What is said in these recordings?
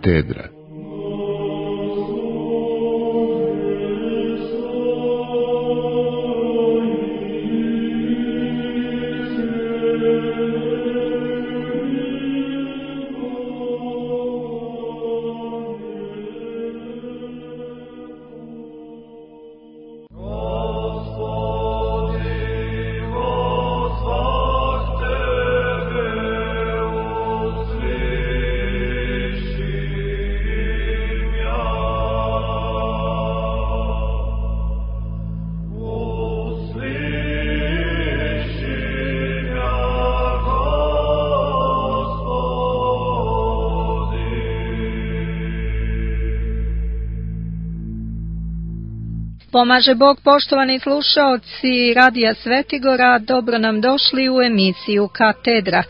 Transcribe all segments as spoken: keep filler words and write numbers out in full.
Katedra. Pomaže Bog, poštovani slušaoci Radija Svetigora, dobro nam došli u emisiju Katedra.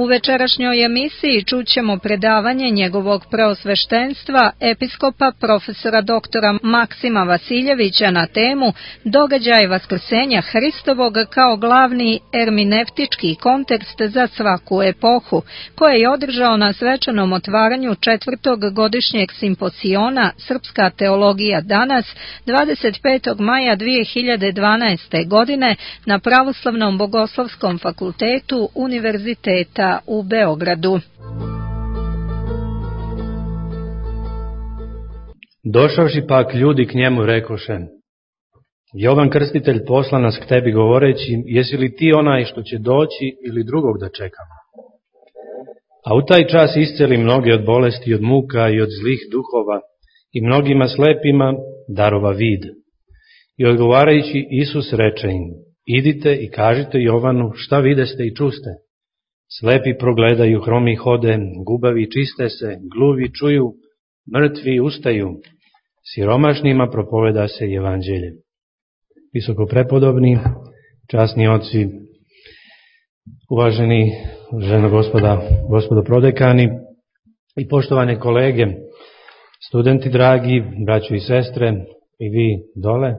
U večerašnjoj emisiji čućemo predavanje njegovog preosveštenstva, episkopa profesora doktora Maksima Vasiljevića na temu Događaj vaskrsenja Hristovog kao glavni erminevtički kontekst za svaku epohu, koje je održao na svečanom otvaranju četvrtog godišnjeg simposiona Srpska teologija danas dvadeset petog maja dvije hiljade dvanaeste. godine na Pravoslavnom bogoslovskom fakultetu Univerziteta u Beogradu. Došavši pak ljudi k njemu rekoše: Jovan Krstitelj posla nas k tebi govoreći, jesi li ti onaj što će doći ili drugog da čekamo? A u taj čas isceli mnoge od bolesti, od muka i od zlih duhova, i mnogima slepima darova vid. I odgovarajući Isus reče im: idite i kažite Jovanu šta videste i čuste. Slepi progledaju, hromi hode, gubavi čiste se, gluvi čuju, mrtvi ustaju, siromašnima propoveda se evanđelje. Visoko prepodobni, časni oci, uvaženi ženo gospoda, gospodo prodekani i poštovane kolege, studenti dragi, braćo i sestre, i vi dole,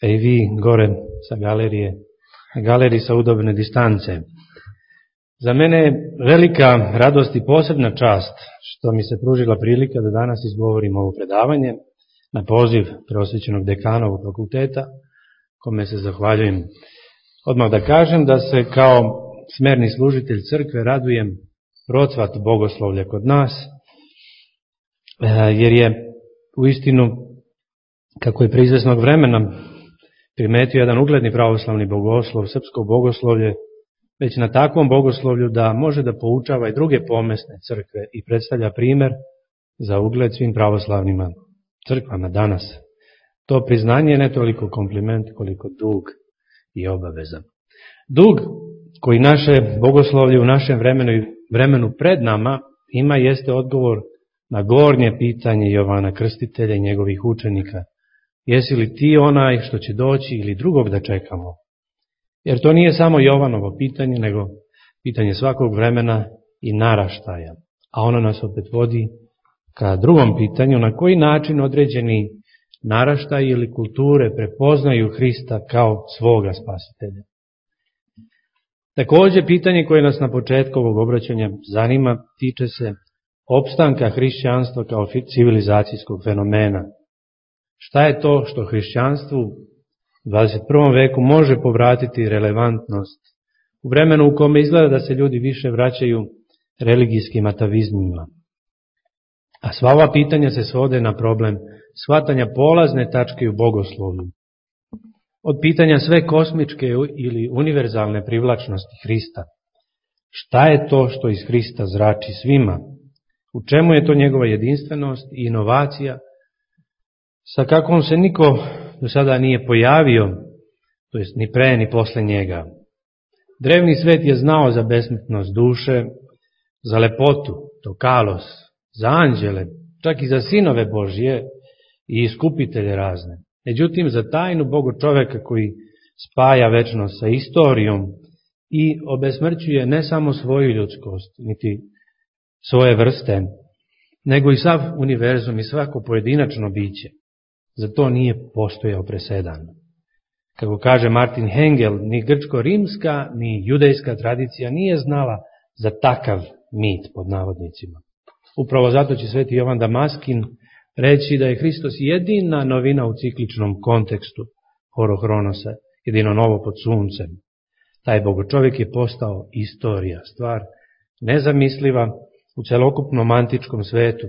a i vi gore sa galerije, na galeriji sa udobne distance. Za mene je velika radost i posebna čast što mi se pružila prilika da danas izgovorim ovo predavanje na poziv preosvećenog dekana ovog fakulteta, kome se zahvaljujem. Odmah da kažem da se kao smerni služitelj crkve radujem procvat bogoslovlja kod nas, jer je u istinu, kako je pre izvesnog vremena primetio jedan ugledni pravoslavni bogoslov, srpsko bogoslovlje, već na takvom bogoslovlju da može da poučava i druge pomesne crkve i predstavlja primer za ugled svim pravoslavnima crkvama danas. To priznanje je ne toliko kompliment koliko dug i obaveza. Dug koji naše bogoslovlje u našem vremenu i vremenu pred nama ima jeste odgovor na gornje pitanje Jovana Krstitelja i njegovih učenika. Jesi li ti onaj što će doći ili drugog da čekamo? Jer to nije samo Jovanovo pitanje, nego pitanje svakog vremena i naraštaja. A ono nas opet vodi ka drugom pitanju, na koji način određeni naraštaj ili kulture prepoznaju Hrista kao svoga spasitelja. Također, pitanje koje nas na početku ovog obraćanja zanima tiče se opstanka hrišćanstva kao civilizacijskog fenomena. Šta je to što hrišćanstvu u dvadeset prvom veku može povratiti relevantnost u vremenu u kome izgleda da se ljudi više vraćaju religijskim atavizmima? A sva ova pitanja se svode na problem shvatanja polazne tačke u bogoslovlju. Od pitanja sve kosmičke ili univerzalne privlačnosti Hrista. Šta je to što iz Hrista zrači svima? U čemu je to njegova jedinstvenost i inovacija, sa kakvom se niko do sada nije pojavio, to jest ni pre ni posle njega? Drevni svet je znao za besmrtnost duše, za lepotu, to kalos, za anđele, čak i za sinove Božje i iskupitelje razne. Međutim, za tajnu Boga čoveka koji spaja večnost sa istorijom i obesmrćuje ne samo svoju ljudskost, niti svoje vrste, nego i sav univerzum i svako pojedinačno biće. Za to nije postojao presedan. Kako kaže Martin Hengel, ni grčko-rimska, ni judejska tradicija nije znala za takav mit, pod navodnicima. Upravo zato će sveti Jovan Damaskin reći da je Hristos jedina novina u cikličnom kontekstu Horohronosa, jedino novo pod suncem. Taj bogočovjek je postao istorija, stvar nezamisliva u celokupnom antičkom svetu,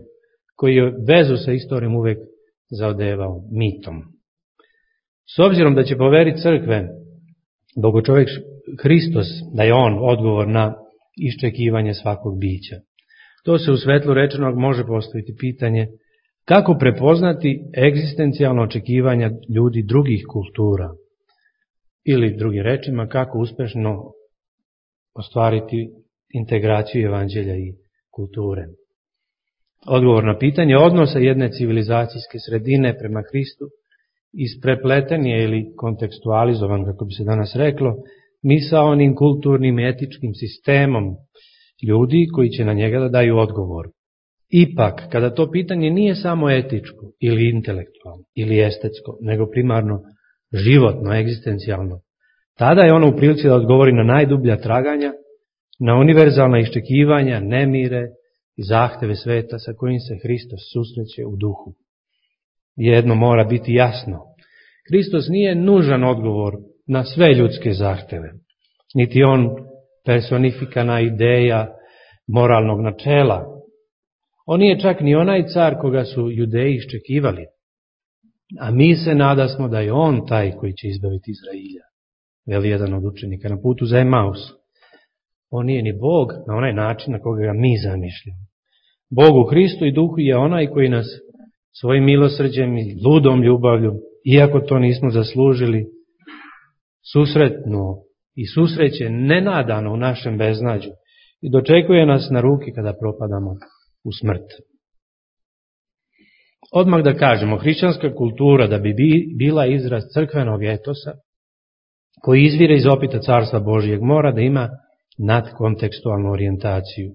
koji je vezu sa istorijom uvek zaodevao mitom. S obzirom da će po veri crkve bogočovjek Hristos, da je on odgovor na iščekivanje svakog bića, to se u svetlu rečenog može postaviti pitanje kako prepoznati egzistencijalno očekivanja ljudi drugih kultura, ili drugim rečima kako uspešno ostvariti integraciju evanđelja i kulture. Odgovor na pitanje odnosa jedne civilizacijske sredine prema Hristu isprepleten je ili kontekstualizovan, kako bi se danas reklo, misaonim kulturnim i etičkim sistemom ljudi koji će na njega da daju odgovor. Ipak, kada to pitanje nije samo etičko ili intelektualno ili estetsko, nego primarno životno, egzistencijalno, tada je ono u prilici da odgovori na najdublja traganja, na univerzalna iščekivanja, nemire i zahteve sveta sa kojim se Hristos susreće u duhu. Jedno mora biti jasno. Hristos nije nužan odgovor na sve ljudske zahteve, niti on personifikana ideja moralnog načela. On nije čak ni onaj car koga su Judeji iščekivali, a mi se nadasmo da je on taj koji će izbaviti Izrailja, veli jedan od učenika na putu za Emaus. On nije ni Bog na onaj način na koga ga mi zamišljamo. Bog u Hristu i duhu je onaj koji nas svojim milosrđem i ludom ljubavlju, iako to nismo zaslužili, susretno i susreće nenadano u našem beznađu i dočekuje nas na ruki kada propadamo u smrt. Odmah da kažemo, hrišćanska kultura da bi bila izraz crkvenog etosa, koji izvire iz opita Carstva Božijeg, mora da ima nadkontekstualnu orijentaciju.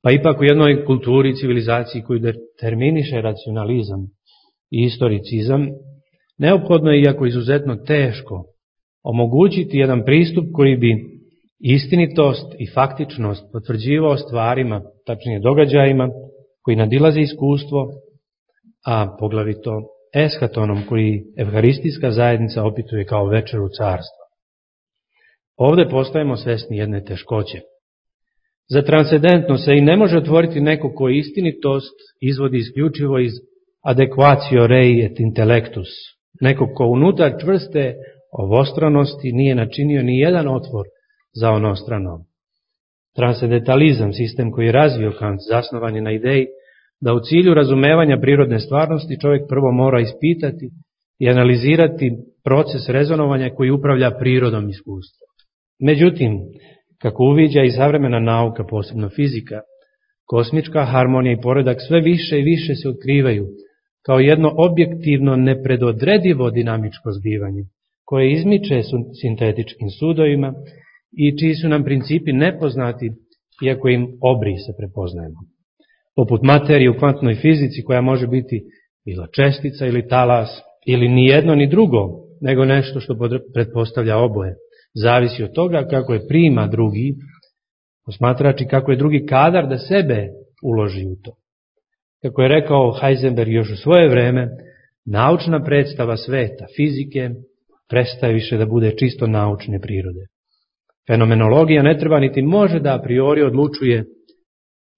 Pa ipak u jednoj kulturi i civilizaciji koju determiniše racionalizam i istoricizam, neophodno je, iako izuzetno teško, omogućiti jedan pristup koji bi istinitost i faktičnost potvrđivao stvarima, tačnije događajima, koji nadilaze iskustvo, a poglavito eshatonom koji evharistijska zajednica opituje kao večeru carstva. Ovde postajemo svesni jedne teškoće. Za transcendentno se i ne može otvoriti neko koji istinitost izvodi isključivo iz adequatio rei et intellectus, neko ko unutar čvrste ovostranosti nije načinio ni jedan otvor za onostrano. Transcendentalizam, sistem koji je razvio Kant, zasnovan je na ideji da u cilju razumevanja prirodne stvarnosti čovjek prvo mora ispitati i analizirati proces rezonovanja koji upravlja prirodom iskustva. Međutim, kako uviđa i savremena nauka, posebno fizika, kosmička harmonija i poredak sve više i više se otkrivaju kao jedno objektivno nepredodredivo dinamičko zbivanje, koje izmiče sintetičkim sudovima i čiji su nam principi nepoznati, iako im obrise prepoznajemo. Poput materije u kvantnoj fizici koja može biti bila čestica ili talas, ili ni jedno ni drugo, nego nešto što pretpostavlja oboje. Zavisi od toga kako je prima drugi posmatrač i kako je drugi kadar da sebe uloži u to. Kako je rekao Heisenberg još u svoje vreme, naučna predstava sveta, fizike, prestaje više da bude čisto naučne prirode. Fenomenologija ne treba niti može da a priori odlučuje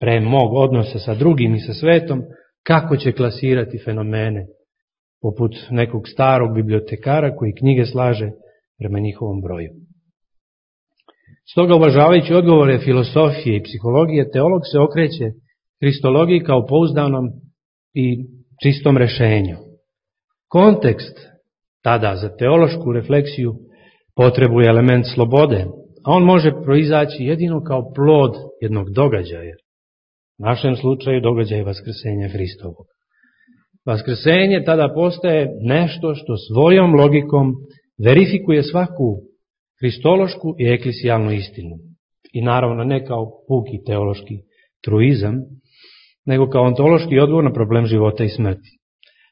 pre mog odnosa sa drugim i sa svetom kako će klasirati fenomene, poput nekog starog bibliotekara koji knjige slaže prema njihovom broju. Stoga, uvažavajući odgovore filosofije i psihologije, teolog se okreće kristologiji kao pouzdanom i čistom rešenju. Kontekst tada za teološku refleksiju potrebuje element slobode, a on može proizaći jedino kao plod jednog događaja. U našem slučaju događaj vaskrsenja Hristovog. Vaskrsenje tada postaje nešto što svojom logikom verifikuje svaku hristološku i eklesijalnu istinu. I naravno ne kao puki teološki truizam, nego kao ontološki odgovor na problem života i smrti.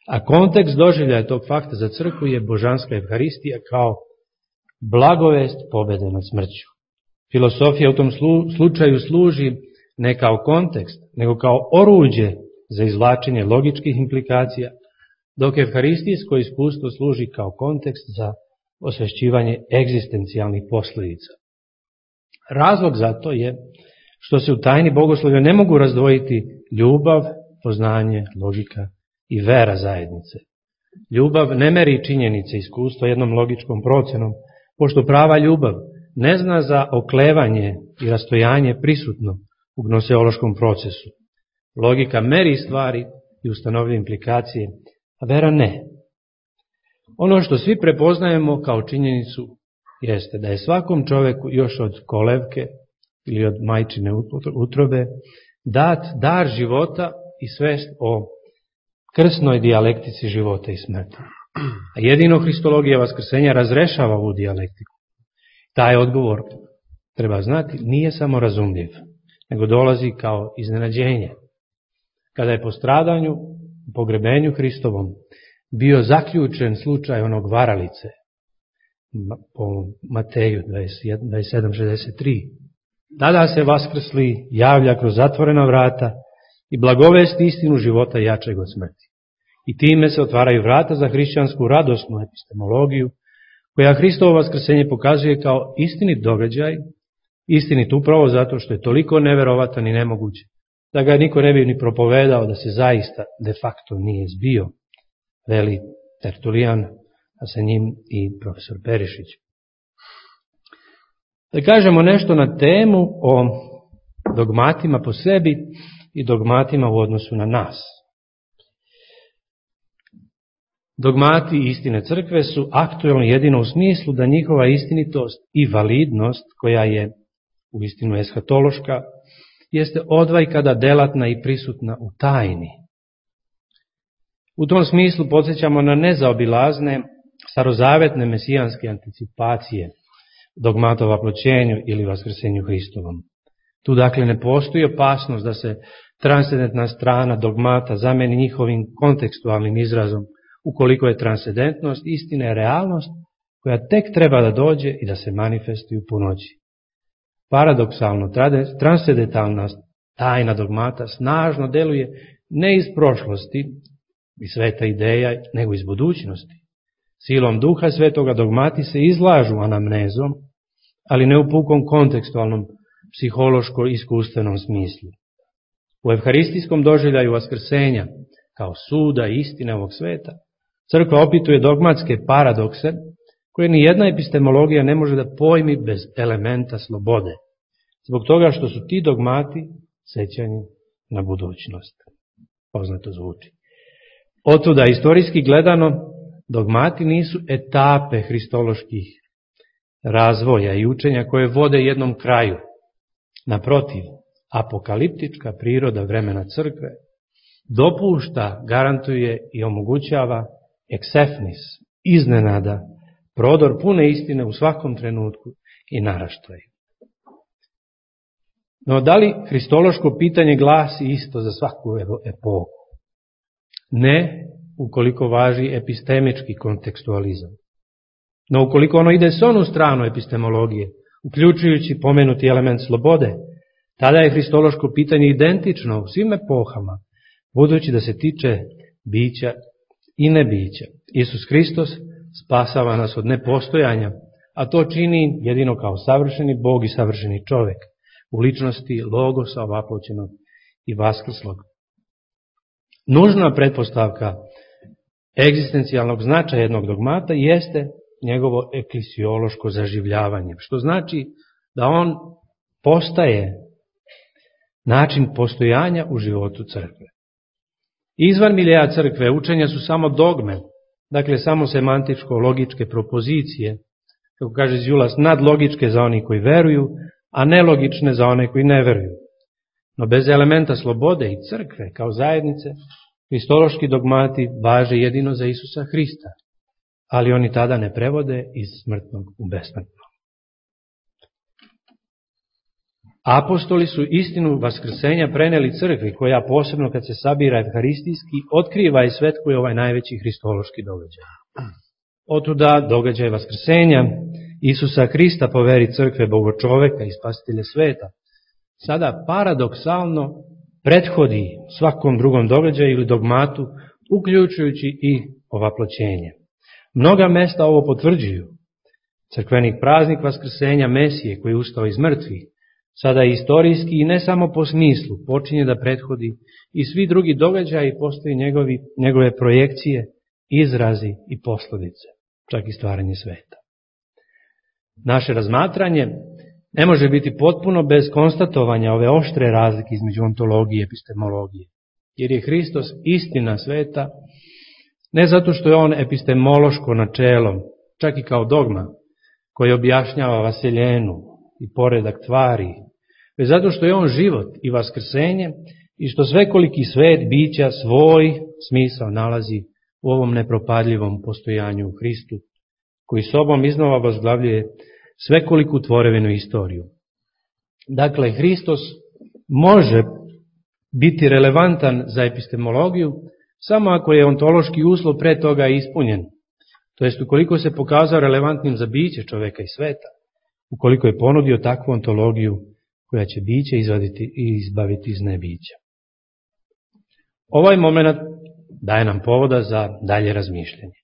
A kontekst doživljaja tog fakta za crkvu je božanska evharistija kao blagovest pobede nad smrću. Filosofija u tom slučaju služi ne kao kontekst, nego kao oruđe za izvlačenje logičkih implikacija, dok evharistijsko iskustvo služi kao kontekst za osvešćivanje egzistencijalnih posljedica. Razlog za to je što se u tajni bogoslovlja ne mogu razdvojiti ljubav, poznanje, logika i vera zajednice. Ljubav ne meri činjenice iskustva jednom logičkom procenom, pošto prava ljubav ne zna za oklevanje i rastojanje prisutno u gnoseološkom procesu. Logika meri stvari i ustanovlja implikacije, a vera ne. Ono što svi prepoznajemo kao činjenicu jeste da je svakom čoveku još od kolevke ili od majčine utrobe dat dar života i svest o krsnoj dijalektici života i smrti. A jedino Hristologija vaskrsenja razrešava ovu dijalektiku. Taj odgovor, treba znati, nije samo razumljiv, nego dolazi kao iznenađenje. Kada je po stradanju, pogrebenju Hristovom, bio zaključen slučaj onog varalice, po Mateju dvadeset sedam šezdeset tri, tada se vaskrsli javlja kroz zatvorena vrata i blagovesti istinu života jačeg od smrti. I time se otvaraju vrata za hrišćansku radosnu epistemologiju, koja Hristovo vaskrsenje pokazuje kao istinit događaj, istinit upravo zato što je toliko neverovatan i nemoguć, da ga niko ne bi ni propovedao da se zaista de facto nije zbio, veli Tertulijan, a sa njim i profesor Perišić. Da kažemo nešto na temu o dogmatima po sebi i dogmatima u odnosu na nas. Dogmati istine crkve su aktuelni jedino u smislu da njihova istinitost i validnost, koja je u istinu eshatološka, jeste odvajkada delatna i prisutna u tajni. U tom smislu podsjećamo na nezaobilazne starozavetne mesijanske anticipacije dogmata o vaploćenju ili vaskrsenju Hristovom. Tu dakle ne postoji opasnost da se transcendentna strana dogmata zameni njihovim kontekstualnim izrazom, ukoliko je transcendentnost istine realnost koja tek treba da dođe i da se manifestuje u punoći. Paradoksalno, transcendentalna tajna dogmata snažno deluje ne iz prošlosti i sveta ideja, nego iz budućnosti. Silom duha svetoga dogmati se izlažu anamnezom, ali ne u pukom kontekstualnom, psihološko-iskustvenom smislu. U evharistijskom doživljaju vaskrsenja, kao suda i istine ovog sveta, crkva opituje dogmatske paradokse, koje ni jedna epistemologija ne može da pojmi bez elementa slobode, zbog toga što su ti dogmati sećanje na budućnost. Poznato zvuči. Otuda, istorijski gledano, dogmati nisu etape hristoloških razvoja i učenja koje vode jednom kraju. Naprotiv, apokaliptička priroda vremena crkve dopušta, garantuje i omogućava eksefnis, iznenada, prodor pune istine u svakom trenutku i naraštaju. No, da li hristološko pitanje glasi isto za svaku epohu? Ne, ukoliko važi epistemički kontekstualizam. No, ukoliko ono ide s onu stranu epistemologije, uključujući pomenuti element slobode, tada je hristološko pitanje identično u svim epohama, budući da se tiče bića i nebića. Isus Hristos spasava nas od nepostojanja, a to čini jedino kao savršeni Bog i savršeni čovek, u ličnosti Logosa ovaploćenog i vaskrslog. Nužna pretpostavka egzistencijalnog značaja jednog dogmata jeste njegovo eklisiološko zaživljavanje, što znači da on postaje način postojanja u životu crkve. Izvan miljeja crkve učenja su samo dogme, dakle samo semantičko-logičke propozicije, kako kaže Zjulas, nadlogičke za oni koji veruju, a nelogične za one koji ne veruju. No bez elementa slobode i crkve kao zajednice, hristološki dogmati važe jedino za Isusa Hrista, ali oni tada ne prevode iz smrtnog u besmrtno. Apostoli su istinu vaskrsenja preneli crkvi, koja posebno kad se sabira evharistijski, otkriva i svetkuje ovaj najveći hristološki događaj. Otuda događaj vaskrsenja Isusa Hrista po veri crkve Bogočoveka i spasitelja sveta, sada paradoksalno prethodi svakom drugom događaju ili dogmatu, uključujući i ovaploćenje. Mnoga mesta ovo potvrđuju. Crkveni praznik Vaskrsenja Mesije koji je ustao iz mrtvih, sada je istorijski i ne samo po smislu, počinje da prethodi i svi drugi događaji, postoji njegovi, njegove projekcije, izrazi i posledice, čak i stvaranje sveta. Naše razmatranje ne može biti potpuno bez konstatovanja ove oštre razlike između ontologije i epistemologije, jer je Hristos istina sveta, ne zato što je on epistemološko načelo, čak i kao dogma, koji objašnjava vaseljenu i poredak tvari, već zato što je on život i vaskrsenje i što svekoliki svet bića svoj smisao nalazi u ovom nepropadljivom postojanju u Hristu, koji sobom iznova vozglavljuje svekoliku tvorevinu istoriju. Dakle, Hristos može biti relevantan za epistemologiju samo ako je ontološki uslov pre toga ispunjen, to jest ukoliko se pokazao relevantnim za biće čoveka i sveta, ukoliko je ponudio takvu ontologiju koja će biće izvaditi i izbaviti iz nebića. Ovaj moment daje nam povoda za dalje razmišljanje.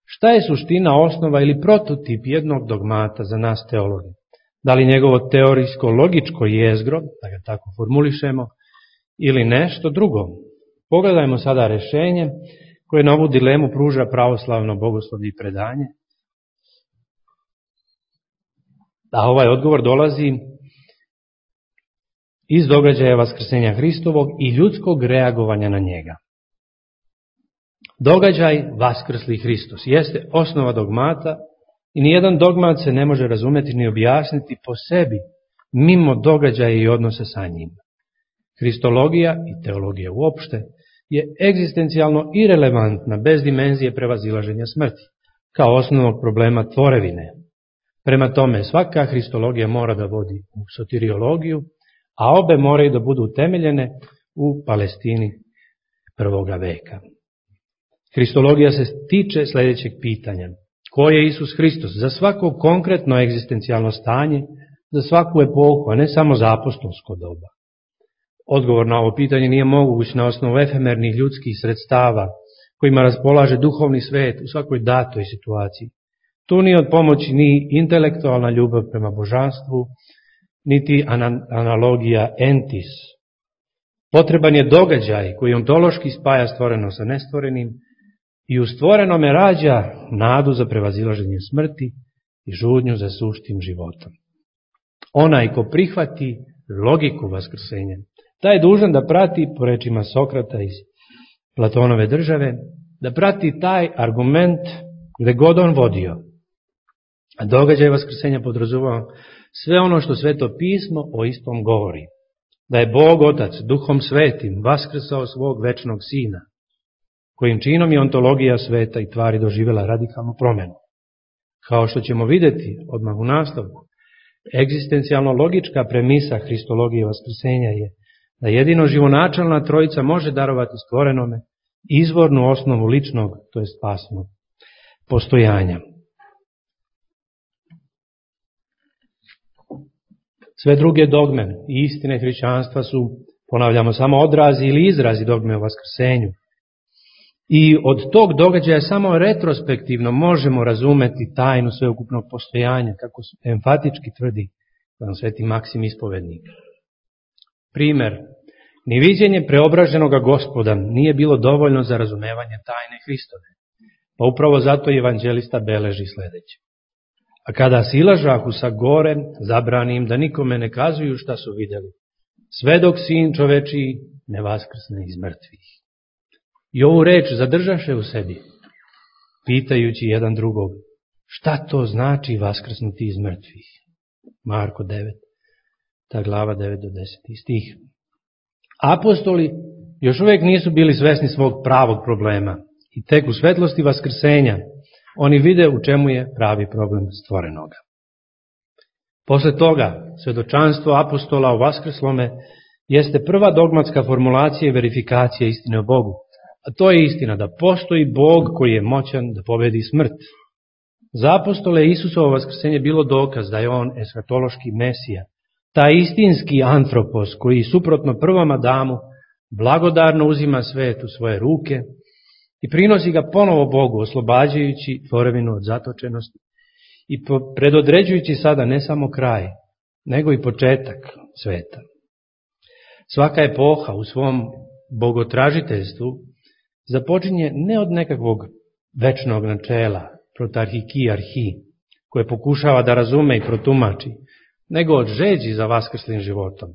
Šta je suština, osnova ili prototip jednog dogmata za nas teologe? Da li njegovo teorijsko-logičko jezgro, da ga tako formulišemo, ili nešto drugo? Pogledajmo sada rešenje koje na ovu dilemu pruža pravoslavno bogoslovlje i predanje. A ovaj odgovor dolazi iz događaja Vaskrsenja Hristovog i ljudskog reagovanja na njega. Događaj Vaskrsli Hristos jeste osnova dogmata i nijedan dogmat se ne može razumeti ni objasniti po sebi mimo događaja i odnose sa njim. Hristologija i teologija uopšte je egzistencijalno irelevantna bez dimenzije prevazilaženja smrti, kao osnovnog problema tvorevine. Prema tome, svaka hristologija mora da vodi u soteriologiju, a obe moraju da budu utemeljene u Palestini prvoga veka. Hristologija se tiče sljedećeg pitanja. Ko je Isus Hristos? Za svako konkretno egzistencijalno stanje, za svaku epohu, a ne samo za apostolsko doba. Odgovor na ovo pitanje nije moguć na osnovu efemernih ljudskih sredstava kojima raspolaže duhovni svet u svakoj datoj situaciji. Tu nije od pomoći ni intelektualna ljubav prema božanstvu, niti analogija entis. Potreban je događaj koji ontološki spaja stvoreno sa nestvorenim i u stvorenome rađa nadu za prevazilaženje smrti i žudnju za suštim životom. Onaj ko prihvati logiku vaskrsenja, taj je dužan da prati, po rečima Sokrata iz Platonove države, da prati taj argument gde god on vodio. A događaj vaskrsenja podrazumeva sve ono što Sveto pismo o istom govori. Da je Bog Otac Duhom Svetim vaskrsao svog večnog Sina, kojim činom je ontologija sveta i tvari doživjela radikalnu promenu. Kao što ćemo vidjeti odmah u nastavku, egzistencijalno logička premisa hristologije vaskrsenja je da jedino živonačalna trojica može darovati stvorenome izvornu osnovu ličnog, to je spasnog, postojanja. Sve druge dogme i istine hrišćanstva su, ponavljamo, samo odrazi ili izrazi dogme o vaskrsenju. I od tog događaja samo retrospektivno možemo razumeti tajnu sveukupnog postojanja, kako enfatički tvrdi sveti Maksim Ispovednik. Primer, ni viđenje preobraženog Gospoda nije bilo dovoljno za razumevanje tajne Hristove, pa upravo zato evanđelista beleži sledeće. A kada silažahu sa gore, zabrani im da nikome ne kazuju šta su videli, sve dok Sin čovečiji ne vaskrsne iz mrtvih. I ovu reč zadržaše u sebi, pitajući jedan drugog, šta to znači vaskrsnuti iz mrtvih? Marko devet, ta glava devet do deset stih. Apostoli još uvijek nisu bili svesni svog pravog problema i tek u svetlosti vaskrsenja oni vide u čemu je pravi problem stvorenoga. Posle toga, svedočanstvo apostola o vaskrslome jeste prva dogmatska formulacija i verifikacija istine o Bogu. A to je istina da postoji Bog koji je moćan da pobedi smrt. Za apostole Isusovo vaskrsenje bilo dokaz da je on eskatološki Mesija, taj istinski antropos koji suprotno prvom Adamu blagodarno uzima svet u svoje ruke i prinosi ga ponovo Bogu, oslobađajući tvorevinu od zatočenosti i predodređujući sada ne samo kraj, nego i početak sveta. Svaka epoha u svom bogotražiteljstvu započinje ne od nekakvog večnog načela, protarhiki arhi, koje pokušava da razume i protumači, nego od žeđi za vaskrslim životom,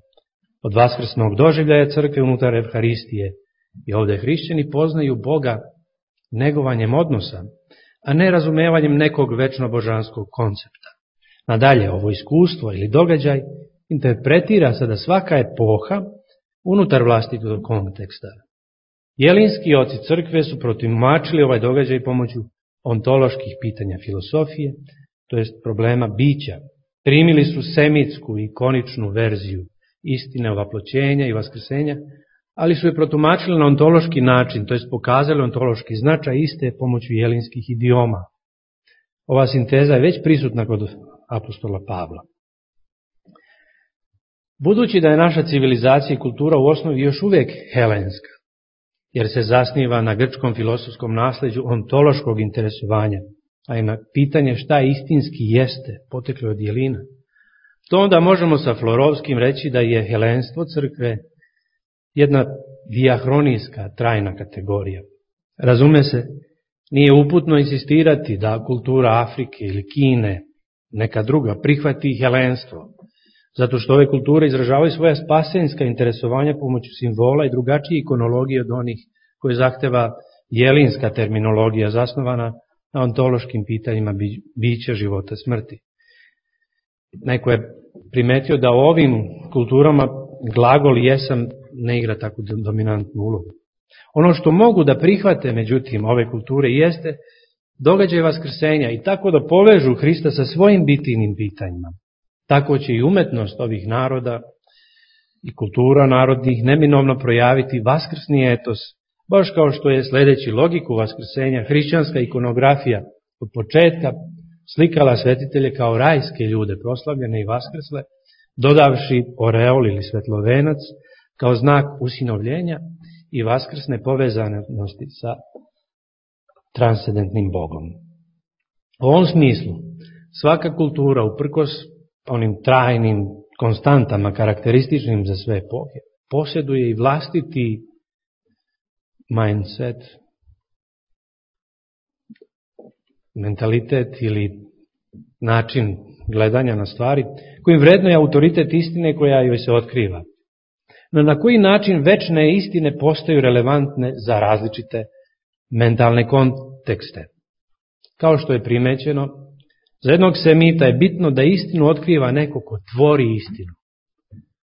od vaskrsnog doživljaja crkve unutar Evharistije. I ovdje hrišćani poznaju Boga negovanjem odnosa, a ne razumevanjem nekog večno božanskog koncepta. Nadalje, ovo iskustvo ili događaj interpretira se da svaka epoha unutar vlastitog konteksta. Jelinski oci crkve su protumačili ovaj događaj pomoću ontoloških pitanja filosofije, to jest problema bića. Primili su semitsku ikoničnu verziju istine ovaploćenja i vaskrsenja, ali su je protumačili na ontološki način, to jest pokazali ontološki značaj iste pomoću jelinskih idioma. Ova sinteza je već prisutna kod apostola Pavla. Budući da je naša civilizacija i kultura u osnovi još uvijek helenska, jer se zasniva na grčkom filosofskom nasleđu ontološkog interesovanja, a i na pitanje šta istinski jeste, poteklo od jelina, to onda možemo sa Florovskim reći da je helenstvo crkve jedna dijahronijska, trajna kategorija. Razume se, nije uputno insistirati da kultura Afrike ili Kine, neka druga, prihvati helenstvo, zato što ove kulture izražavaju svoja spasenska interesovanja pomoću simbola i drugačije ikonologije od onih koje zahteva jelinska terminologija zasnovana na ontološkim pitanjima bića, života, smrti. Neko je primetio da u ovim kulturama glagol jesam ne igra tako dominantnu ulogu. Ono što mogu da prihvate, međutim, ove kulture jeste događaj vaskrsenja i tako da povežu Hrista sa svojim bitijnim pitanjima. Tako će i umetnost ovih naroda i kultura narodnih neminovno projaviti vaskrsni etos, baš kao što je sledeći logiku vaskrsenja hrišćanska ikonografija od početka slikala svetitelje kao rajske ljude proslavljene i vaskrsle, dodavši oreol ili svetlovenac kao znak usinovljenja i vaskrsne povezanosti sa transcendentnim Bogom. U ovom smislu, svaka kultura, uprkos onim trajnim konstantama karakterističnim za sve epohe, posjeduje i vlastiti mindset, mentalitet ili način gledanja na stvari, kojim vrednuje autoritet istine koja joj se otkriva. No na koji način večne istine postaju relevantne za različite mentalne kontekste? Kao što je primećeno, za jednog semita je bitno da istinu otkriva neko ko tvori istinu.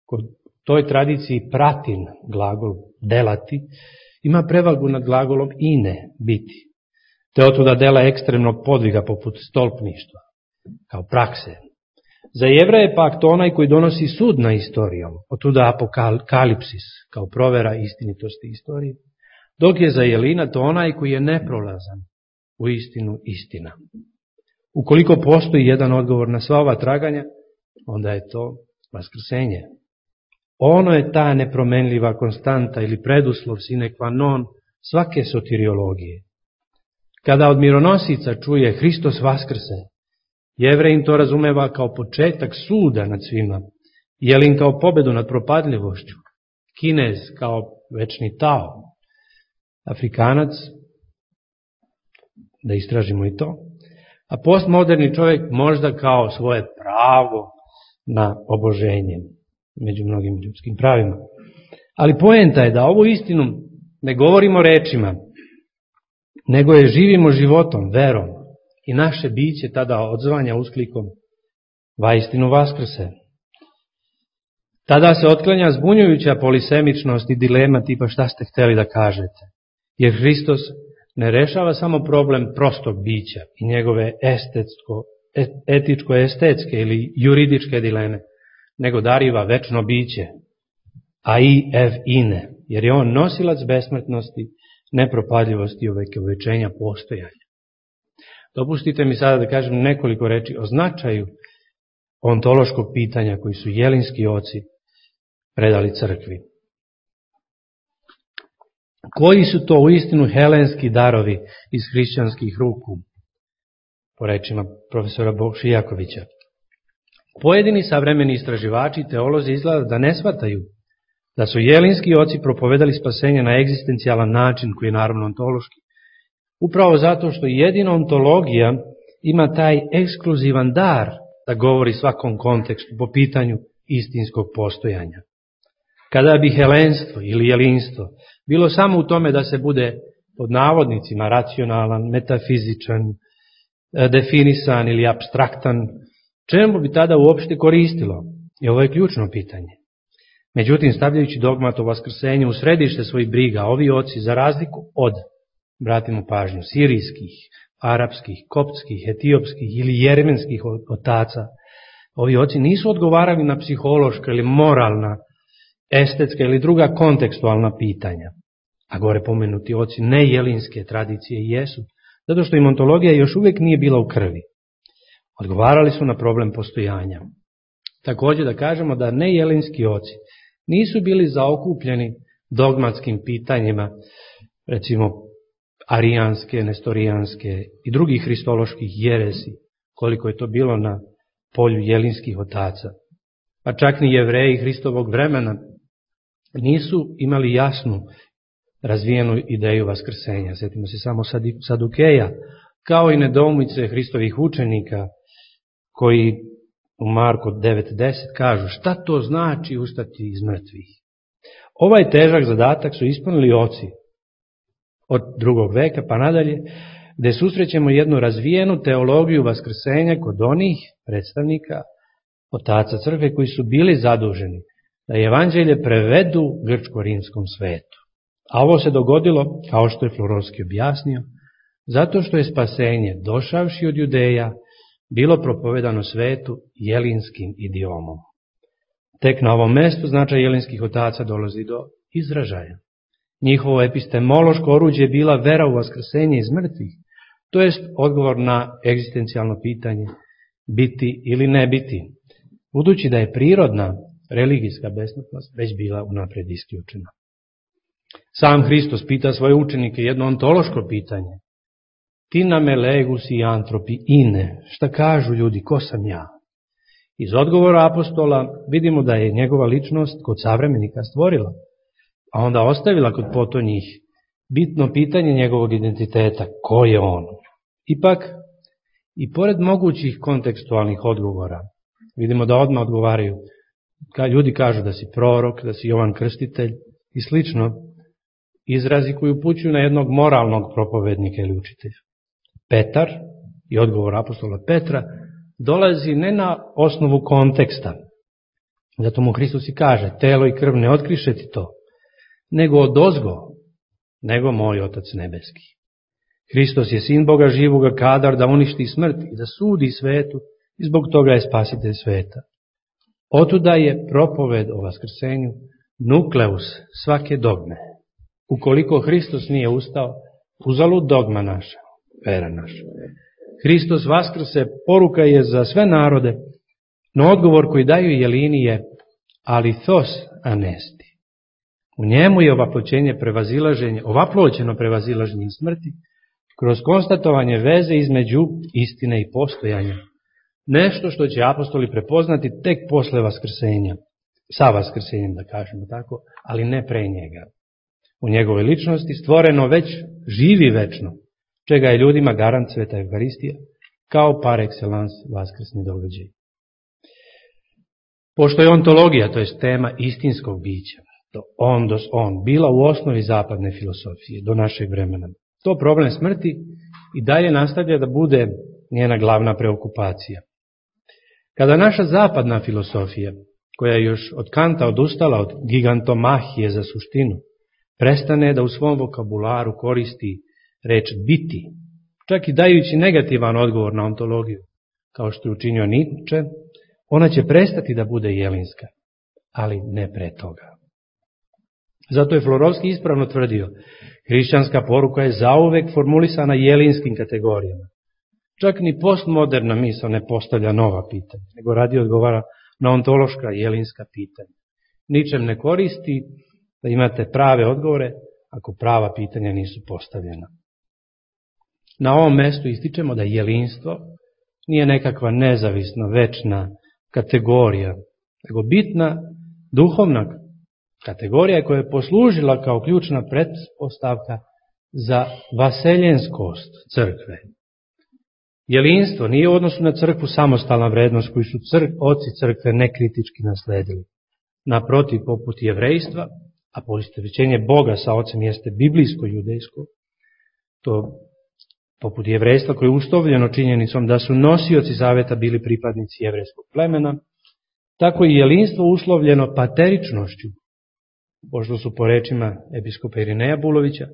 Kod toj tradiciji pratin, glagol delati, ima prevagu nad glagolom ine, biti. Te otuda dela ekstremnog podviga poput stolpništva, kao prakse. Za Jevreje pak to onaj koji donosi sud na istorijom, otuda apokalipsis, kao provera istinitosti istorije, dok je za Jelina to onaj koji je neprolazan, u istinu istina. Ukoliko postoji jedan odgovor na sva ova traganja, onda je to vaskrsenje. Ono je ta nepromenljiva konstanta ili preduslov sine qua non svake soteriologije. Kada od mironosica čuje Hristos vaskrse, Jevrejin to razumeva kao početak suda nad svima, Jelin kao pobedu nad propadljivošću, Kinez kao večni Tao, Afrikanac, da istražimo i to, a postmoderni čovjek možda kao svoje pravo na oboženje među mnogim ljudskim pravima. Ali poenta je da ovu istinu ne govorimo rečima, nego je živimo životom, verom, i naše biće tada odzvanja usklikom vaistinu vaskrse. Tada se otklanja zbunjujuća polisemičnost i dilema tipa šta ste hteli da kažete, jer Hristos ne rešava samo problem prostog bića i njegove estetsko, etičko-estetske ili juridičke dileme, nego dariva večno biće, a i ev ine, jer je on nosilac besmrtnosti, nepropadljivosti i ovekovečenja postojanja. Dopustite mi sada da kažem nekoliko reči o značaju ontološkog pitanja koji su jelinski oci predali crkvi. Koji su to uistinu helenski darovi iz hrišćanskih ruku, po rečima profesora Bokšijakovića? Pojedini savremeni istraživači i teolozi izgleda da ne shvataju da su jelinski oci propovedali spasenje na egzistencijalan način, koji je naravno ontološki. Upravo zato što jedino ontologija ima taj ekskluzivan dar da govori svakom kontekstu po pitanju istinskog postojanja. Kada bi helenstvo ili jelinstvo bilo samo u tome da se bude pod navodnicima racionalan, metafizičan, definisan ili apstraktan, čemu bi tada uopšte koristilo? I ovo je ključno pitanje. Međutim, stavljajući dogmat o vaskrsenju u središte svojih briga, ovi oci, za razliku od, bratimo pažnju, sirijskih, arapskih, koptskih, etiopskih ili jeremenskih otaca, ovi oci nisu odgovarali na psihološka ili moralna, estetska ili druga kontekstualna pitanja. A gore pomenuti oci nejelinske tradicije jesu, zato što im ontologija još uvijek nije bila u krvi. Odgovarali su na problem postojanja. Također da kažemo da nejelinski oci nisu bili zaokupljeni dogmatskim pitanjima, recimo arijanske, nestorijanske i drugih hristoloških jeresi, koliko je to bilo na polju jelinskih otaca. Pa čak ni Jevreji Hristovog vremena nisu imali jasnu razvijenu ideju vaskrsenja. Sjetimo se samo Sadukeja, kao i nedoumice Hristovih učenika, koji u Marko devet deset kažu šta to znači ustati iz mrtvih. Ovaj težak zadatak su ispunili oci od drugog veka pa nadalje, gde susrećemo jednu razvijenu teologiju vaskrsenja kod onih predstavnika otaca crkve koji su bili zaduženi da evanđelje prevedu grčko-rimskom svetu. A ovo se dogodilo, kao što je Florovski objasnio, zato što je spasenje, došavši od Judeja, bilo propovedano svetu jelinskim idiomom. Tek na ovom mestu značaj jelinskih otaca dolazi do izražaja. Njihovo epistemološko oruđe je bila vera u vaskrsenje iz mrtvih, to jest odgovor na egzistencijalno pitanje biti ili ne biti, budući da je prirodna religijska besmrtnost već bila unaprijed isključena. Sam Hristos pita svoje učenike jedno ontološko pitanje. Tina me legus i antropi ine, šta kažu ljudi, ko sam ja? Iz odgovora apostola vidimo da je njegova ličnost kod savremenika stvorila, a onda ostavila kod potonjih bitno pitanje njegovog identiteta, ko je on? Ipak, i pored mogućih kontekstualnih odgovora, vidimo da odmah odgovaraju, ljudi kažu da si prorok, da si Jovan Krstitelj i slično, izrazi koji upućuju na jednog moralnog propovednika ili učitelja. Petar, i odgovor apostola Petra, dolazi ne na osnovu konteksta, zato mu Hristos i kaže, telo i krv ne otkriše ti to, nego odozgo, nego moj Otac nebeski. Hristos je sin Boga živoga, kadar da uništi smrt i da sudi svetu, i zbog toga je spasitelj sveta. Otuda je propoved o vaskrsenju nukleus svake dogme. Ukoliko Hristos nije ustao, uzalud dogma naša, vera naša. Hristos vaskrse poruka je za sve narode, no odgovor koji daju jelini je alithos anesti. U njemu je ovaploćenje prevazilaženje, ovaploćeno prevazilaženje smrti, kroz konstatovanje veze između istine i postojanja. Nešto što će apostoli prepoznati tek posle vaskrsenja, sa vaskrsenjem da kažemo tako, ali ne pre njega. U njegove ličnosti stvoreno već živi večno, čega je ljudima garant sveta Evharistija, kao par excellence vaskrsni događaj. Pošto je ontologija, to je tema istinskog bića, to ondos on, bila u osnovi zapadne filosofije do našeg vremena, to problem smrti i dalje nastavlja da bude njena glavna preokupacija. Kada naša zapadna filosofija, koja je još od Kanta odustala od gigantomahije za suštinu, prestane da u svom vokabularu koristi reč biti, čak i dajući negativan odgovor na ontologiju, kao što je učinio Nietzsche, ona će prestati da bude jelinska, ali ne pre toga. Zato je Florovski ispravno tvrdio, hrišćanska poruka je zauvek formulisana jelinskim kategorijama. Čak ni postmoderna misao ne postavlja nova pitanja, nego radi odgovara na ontološka jelinska pitanja. Ničem ne koristi da imate prave odgovore ako prava pitanja nisu postavljena. Na ovom mestu ističemo da jelinstvo nije nekakva nezavisna, večna kategorija, nego bitna duhovna kategorija koja je poslužila kao ključna pretpostavka za vaseljenskost crkve. Jelinstvo nije u odnosu na crkvu samostalna vrednost koju su crk, oci crkve nekritički nasledili. Naprotiv, poput jevrejstva, a poistovjećenje Boga sa ocem jeste biblijsko-judejsko, to poput jevrejstva koje je ustovljeno činjenicom da su nosioci zaveta bili pripadnici jevrejskog plemena, tako i jelinstvo uslovljeno pateričnošću, pošto su po rečima episkopa Irineja Bulovića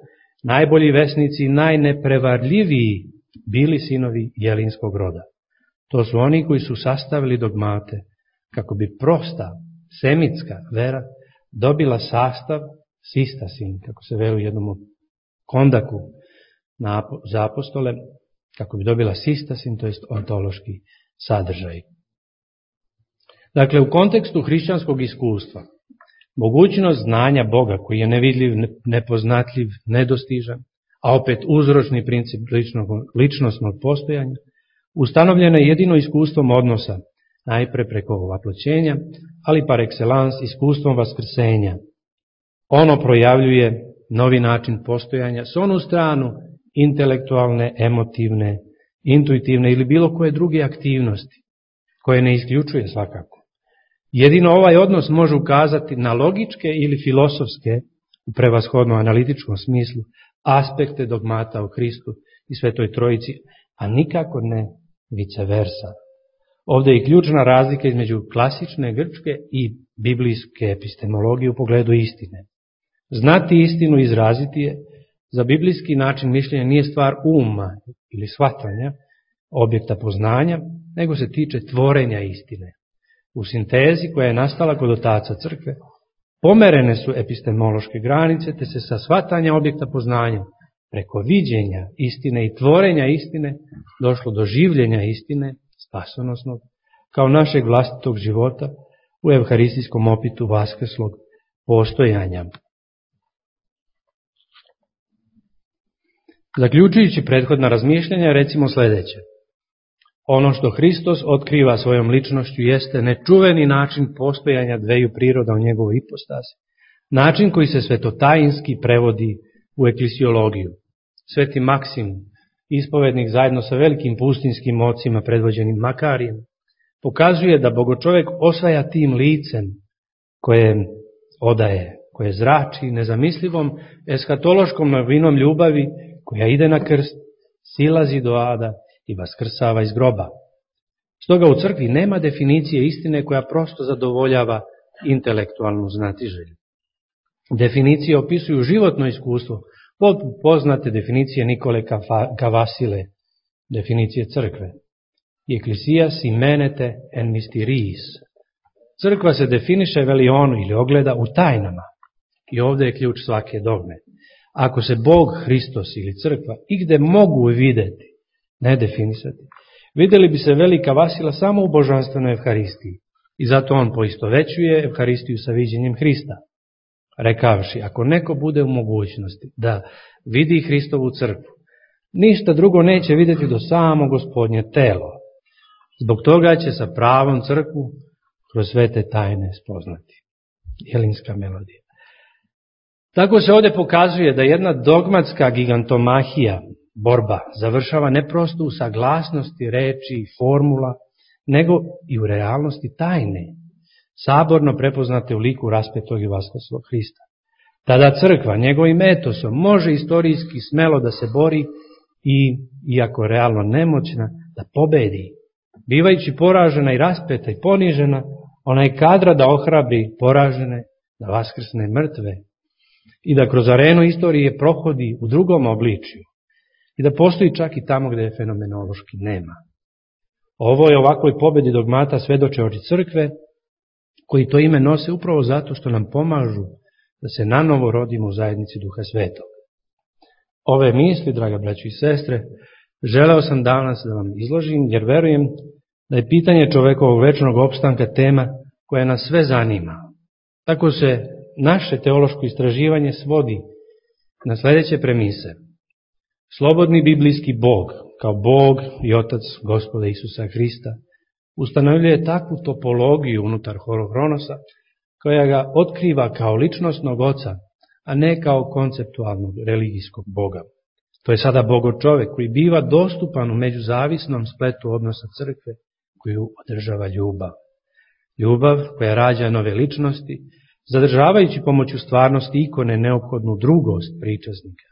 najbolji vesnici i najneprevarljiviji bili sinovi jelinskog roda. To su oni koji su sastavili dogmate kako bi prosta semitska vera dobila sastav sistasin, kako se veli u jednom kondaku za apostole, kako bi dobila sistasin, to jest ontološki sadržaj. Dakle, u kontekstu hrišćanskog iskustva, mogućnost znanja Boga koji je nevidljiv, nepoznatljiv, nedostižan, a opet uzročni princip ličnog, ličnostnog postojanja, ustanovljeno je jedino iskustvom odnosa, najpre preko ovaploćenja, ali par excellence iskustvom vaskrsenja. Ono projavljuje novi način postojanja s onu stranu intelektualne, emotivne, intuitivne ili bilo koje druge aktivnosti, koje ne isključuje svakako. Jedino ovaj odnos može ukazati na logičke ili filosofske, u prevashodno analitičkom smislu, aspekte dogmata o Hristu i Svetoj Trojici, a nikako ne vice versa. Ovdje je ključna razlika između klasične grčke i biblijske epistemologije u pogledu istine. Znati istinu i izraziti je, za biblijski način mišljenja nije stvar uma ili shvatanja, objekta poznanja, nego se tiče tvorenja istine. U sintezi koja je nastala kod otaca crkve, pomerene su epistemološke granice, te se sa shvatanja objekta poznanja, preko viđenja istine i tvorenja istine, došlo do življenja istine, spasonosnog, kao našeg vlastitog života u evharistijskom opitu vaskrslog postojanja. Zaključujući prethodna razmišljanja, recimo sljedeće. Ono što Hristos otkriva svojom ličnošću jeste nečuveni način postojanja dveju priroda u njegovoj ipostasi, način koji se svetotajinski prevodi u eklisiologiju. Sveti Maksim, ispovednik zajedno sa velikim pustinskim ocima predvođenim Makarijem, pokazuje da bogočovek osvaja tim licem koje odaje, koje zrači nezamislivom eskatološkom novinom ljubavi koja ide na krst, silazi do ada i vaskrsava iz groba. Stoga u crkvi nema definicije istine koja prosto zadovoljava intelektualnu znatiželju. Definicije opisuju životno iskustvo, poput poznate definicije Nikole Kavasile, definicije crkve. Ecclesias imenete en mysteries. Crkva se definiše, veli on, ili ogleda u tajnama. I ovdje je ključ svake dogme. Ako se Bog, Hristos ili crkva igde mogu videti, ne definisati, vidjeli bi se velika Vasila samo u božanstvenoj evharistiji. I zato on poistovećuje evharistiju sa viđenjem Hrista. Rekavši, ako neko bude u mogućnosti da vidi Hristovu crkvu, ništa drugo neće vidjeti do samo Gospodnje telo. Zbog toga će sa pravom crkvu kroz sve te tajne spoznati. Jelinska melodija. Tako se ovdje pokazuje da jedna dogmatska gigantomahija, borba, završava ne prosto u saglasnosti reči i formula, nego i u realnosti tajne, saborno prepoznate u liku raspetog i vaskrslog Hrista. Tada crkva njegovim etosom može istorijski smelo da se bori i, iako realno nemoćna, da pobedi. Bivajući poražena i raspeta i ponižena, ona je kadra da ohrabri poražene, da vaskrsne mrtve i da kroz arenu istorije prohodi u drugom obličju i da postoji čak i tamo gdje je fenomenološki nema. Ovo je ovakvoj pobedi dogmata svedoče oči crkve, koji to ime nose upravo zato što nam pomažu da se nanovo rodimo u zajednici Duha Svetog. Ove misli, draga braćo i sestre, želeo sam danas da vam izložim, jer verujem da je pitanje čovekovog večnog opstanka tema koja nas sve zanima. Tako se naše teološko istraživanje svodi na sljedeće premise. Slobodni biblijski Bog, kao Bog i Otac Gospoda Isusa Hrista, ustanovljuje takvu topologiju unutar Horohronosa, koja ga otkriva kao ličnosnog oca, a ne kao konceptualnog religijskog Boga. To je sada Bogo-čovek koji biva dostupan u međuzavisnom spletu odnosa crkve koju održava ljubav. Ljubav koja rađa nove ličnosti, zadržavajući pomoću stvarnosti ikone neophodnu drugost pričaznika.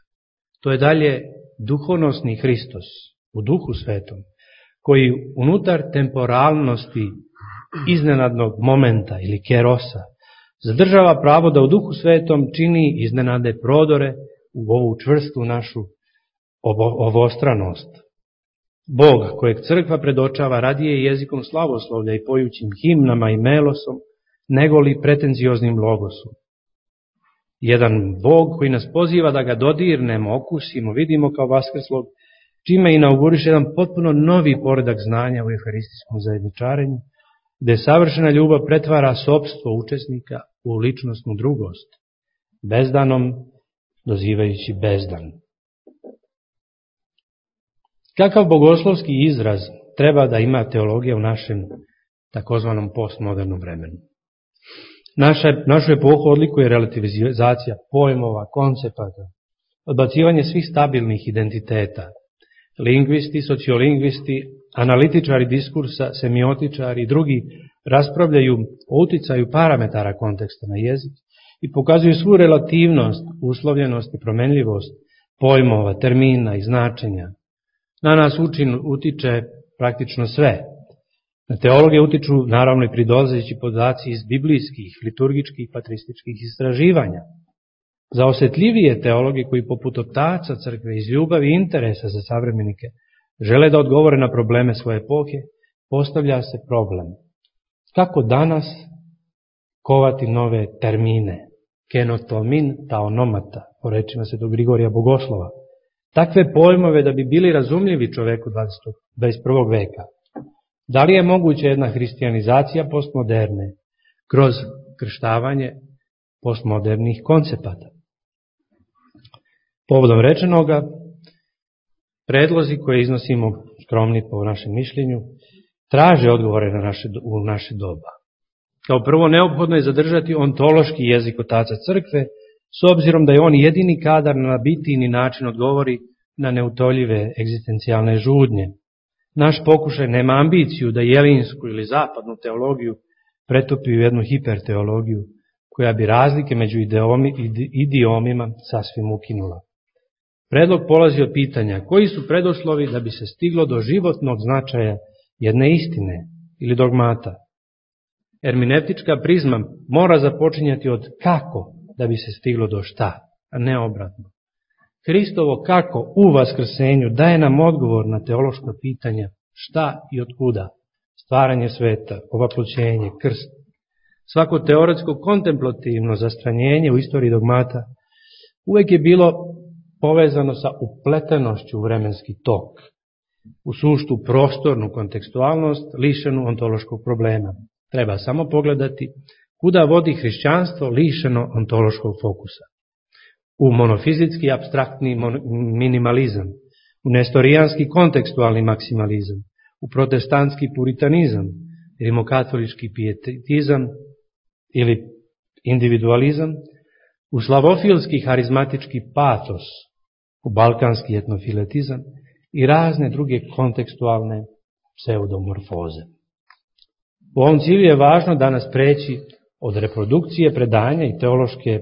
To je dalje duhonosni Hristos u Duhu Svetom, koji unutar temporalnosti iznenadnog momenta ili kerosa zadržava pravo da u Duhu Svetom čini iznenade prodore u ovu čvrstu našu ovostranost. Bog kojeg crkva predočava radije jezikom slavoslovlja i pojućim himnama i melosom, nego li pretenzioznim logosom. Jedan Bog koji nas poziva da ga dodirnemo, okusimo, vidimo kao vaskrslog, čime inauguriše jedan potpuno novi poredak znanja u euharistijskom zajedničarenju, gde savršena ljubav pretvara sopstvo učesnika u ličnosnu drugost, bezdanom dozivajući bezdan. Kakav bogoslovski izraz treba da ima teologija u našem takozvanom postmodernom vremenu? Naša, našu epohu odlikuje relativizacija pojmova, koncepata, odbacivanje svih stabilnih identiteta. Lingvisti, sociolingvisti, analitičari diskursa, semiotičari i drugi raspravljaju o uticaju parametara konteksta na jezik i pokazuju svu relativnost, uslovljenost i promenljivost pojmova, termina i značenja. Na nas učin utiče praktično sve. Na teologije utiču naravno i pridolazeći podaci iz biblijskih, liturgičkih, patrističkih istraživanja. Za osetljivije teologe koji poput otaca crkve iz ljubavi i interesa za savremenike žele da odgovore na probleme svoje epohe, postavlja se problem. Kako danas kovati nove termine? Kenotomin taonomata, po rečima svetog Grigorija Bogoslova. Takve pojmove da bi bili razumljivi čoveku dvadeset prvog veka. Da li je moguća jedna hristijanizacija postmoderne kroz krštavanje postmodernih koncepata? Povodom rečenoga, predlozi koje iznosimo skromni po našem mišljenju, traže odgovore na naše, u naše doba. Kao prvo, neophodno je zadržati ontološki jezik otaca crkve, s obzirom da je on jedini kadar na bitini način odgovori na neutoljive egzistencijalne žudnje. Naš pokušaj nema ambiciju da jelinsku ili zapadnu teologiju pretopi u jednu hiperteologiju, koja bi razlike među idiomima sasvim ukinula. Predlog polazi od pitanja koji su preduslovi da bi se stiglo do životnog značaja jedne istine ili dogmata. Hermeneutička prizma mora započinjati od kako da bi se stiglo do šta, a ne obratno. Hristovo kako u vaskrsenju daje nam odgovor na teološka pitanja šta i otkuda, stvaranje sveta, ovaploćenje, krst. Svako teoretsko kontemplativno zastranjenje u istoriji dogmata uvek je bilo povezano sa upletenošću u vremenski tok, u suštu prostornu kontekstualnost lišenu ontološkog problema. Treba samo pogledati kuda vodi hrišćanstvo lišeno ontološkog fokusa. U monofizitski apstraktni minimalizam, u nestorijanski kontekstualni maksimalizam, u protestantski puritanizam, rimokatolički pijetizam ili individualizam, u slavofilski harizmatički patos, u balkanski etnofiletizam i razne druge kontekstualne pseudomorfoze. U ovom cilju je važno danas preći od reprodukcije predanja i teološke,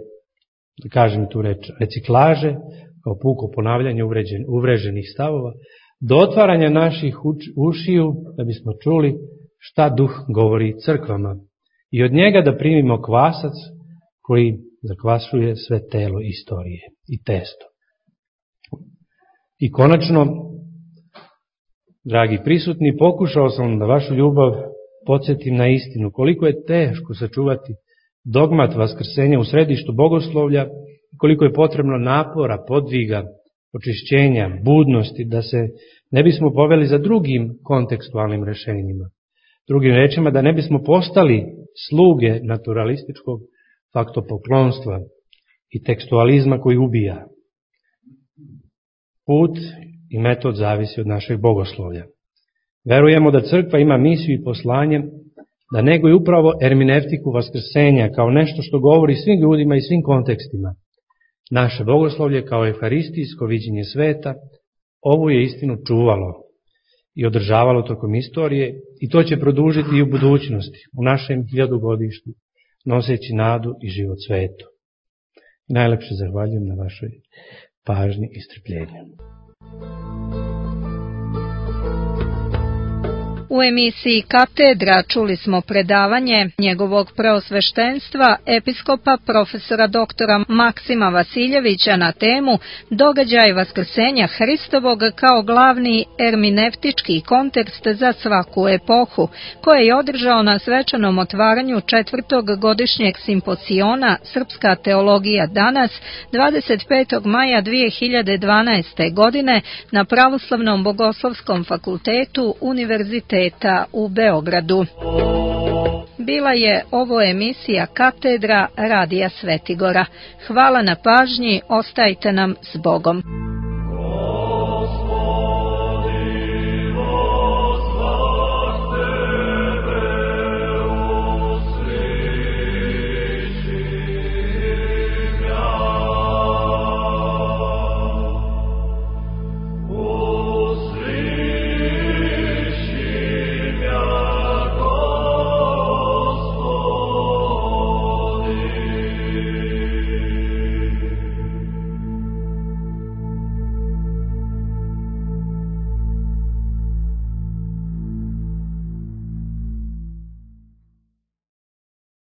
da kažem tu reč, reciklaže, kao puko ponavljanje uvreženih stavova, do otvaranja naših ušiju da bismo čuli šta duh govori crkvama i od njega da primimo kvasac koji zakvasuje sve telo istorije i testo. I konačno, dragi prisutni, pokušao sam da vašu ljubav podsjetim na istinu, koliko je teško sačuvati dogmat vaskrsenja u središtu bogoslovlja, koliko je potrebno napora, podviga očišćenja, budnosti, da se ne bismo poveli za drugim kontekstualnim rešenjima. Drugim rečima, da ne bismo postali sluge naturalističkog faktopoklonstva i tekstualizma koji ubija. Put i metod zavisi od našeg bogoslovlja. Verujemo da crkva ima misiju i poslanje da neguje upravo erminevtiku vaskrsenja kao nešto što govori svim ljudima i svim kontekstima. Naše bogoslovlje kao euharistijsko viđenje sveta ovu je istinu čuvalo i održavalo tokom istorije i to će produžiti i u budućnosti, u našem hiljadugodištu, noseći nadu i život svetu. Najlepše zahvaljujem na vašoj pažnji i strpljenju. U emisiji Katedra čuli smo predavanje njegovog preosveštenstva episkopa profesora doktora Maksima Vasiljevića na temu Događaj vaskrsenja Hristovog kao glavni erminevtički kontekst za svaku epohu, koje je održao na svečanom otvaranju četvrtog godišnjeg simposiona Srpska teologija danas dvadeset petog maja dve hiljade dvanaeste. godine na Pravoslavnom bogoslovskom fakultetu Univerziteta u Beogradu. Bila je ovo emisija Katedra Radija Svetigora. Hvala na pažnji, ostajte nam s Bogom.